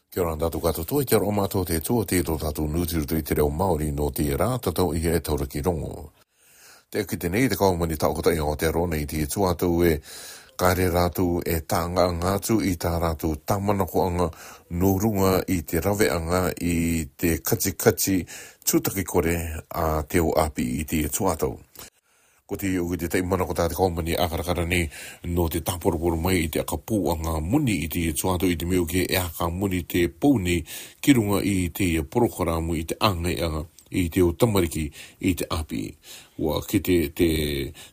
Kia ora tātou katoa, kia ora o mātou te tua, te tō tātou nūtiru tui te reo Māori no te rā, tātou i e taura ki rongo. Te ki te nei, te kaumani tau kotai o te rona i te tua tau e kāre rātou e tānga ngātu i tā rātou tāmanako anga no runga i te rawe anga i te kati tūtaki kore a te o api i te tua tau. Ko te iu te tei mana ko tāte kaumani akarakara ni no te tāporoporo mai i te akapū a ngā muni i te tuato i te meo ke e aka muni te pouni ki runga i te porokaramu i te angai anga i te o tamariki i te api. Ua ki te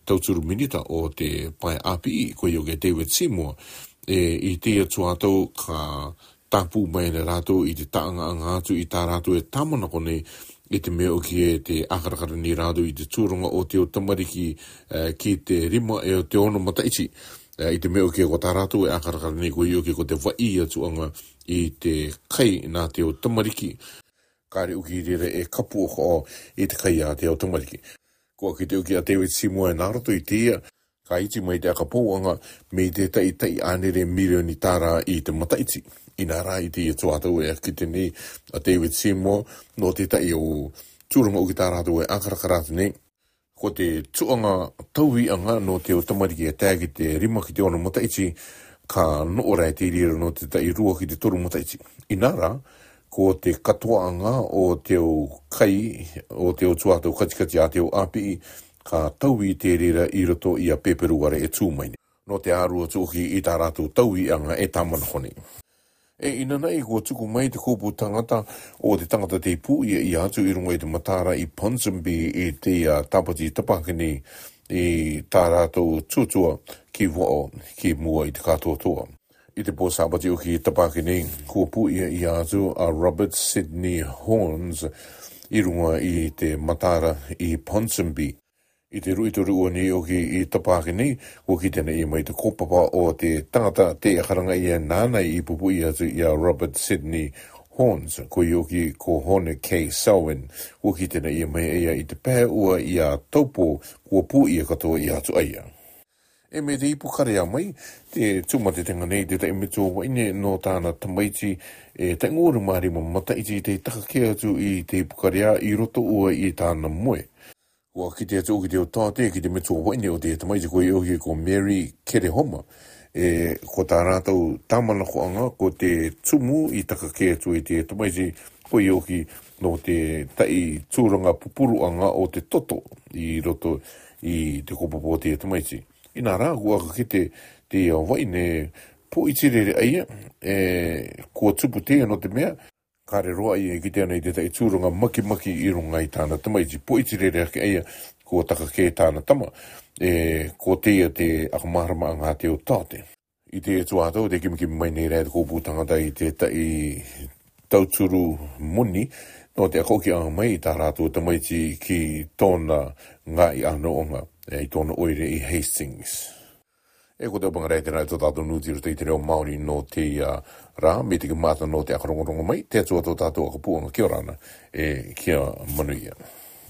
tauturu minita o te pai api ko iu ke David Seymour i te tuato ka tāpū mai na rātou i te taanga angātu i tā rātou e tāmanako nei i te mea o ki e te akarakara ni rādo i te tūrunga o te o tamariki ki te rima e o te ono mataichi. I te mea o ki e ko tā rātou e akarakara ni ko i o ki ko te vai atuanga i te kai nā te o tamariki. Kāre uki rere e kapu o i te kai a te o tamariki. Kua ki te uki a David Seymour e nārato i te ia, ka iti mai te akapouanga me te tai anere milioni tāra i te mataichi. Ina rā i te tuatau e ki te nei a David Seymour no te tai o tūrunga uki tā rātou e akarakaratu nei. Ko te tuanga tauhi anga no te o tamariki e tagi te rima ki te ono mataichi ka noora e te rira no te tai rua ki te toru mataichi. Ina rā, ko te katoa anga o te o kai o te o tuatau katikati a te o api ka tauhi te rira i roto i a peperuare e tūmaine. No te ārua tūki i tā rātou tauhi anga e tamanahone. E ina nei ko tuku mai te kōpū tangata o te tangata te pū i atu i runga i te matara i Ponsonby i te tapati tapakini i tā rātou tūtua ki wao ki mua i te katoa. I te pō sapati o ki tapakini kōpū i atu a Robert Sidney Horns i runga i te matara i Ponsonby. I te ruitoru o ni o ki i tapakini, o ki tēnei mai te kōpapa o te tangata te akaranga i a nānei i pupu i atu i a Robert Sidney Horns, ko i o ki ko Hone K. Selwyn, o ki tēnei mai ia i te pēr ua i a taupo kua pū i a katoa i atu aia. E me te ipu karea mai, te tūmate tenga nei te taimito waine no tāna tamaiti e te ngōru maari ma mataiti te takake atu i te ipu karea i roto ua i tāna moe. Ua ki te atu ki te o tāte, ki te metua waine o te tamaiti ko i ohi ko Mary Kerehoma. Ko tā rātou tāmanako anga, ko te tumu i takake atu i te tamaiti ko i ohi no te tai tūranga pupuru anga o te toto i roto i te kopopo o te tamaiti. Ina rā, kua ki te waine po i tirere aia, kua tupu te no te mea, kāre roa i ki tēnei te tai tūrunga maki i runga i tāna tamaiti. Po iti rere ake eia ko takake tāna tama, ko teia te akamarama ngā te o tāte. I te tuatau, te kimikimi mai nei rea te kōpū tangata i te tai tauturu muni, no te akoki anga mai i tā rātou tamaiti ki tōna ngā i ano onga, i tōna oire i Hastings. E ko te opanga rei tēnā tō tātou nūtiru te i te reo Māori no te rā, me te ki māta no te akarongorongo mai, te atua tō tātou akapuanga kia rana, kia manuia.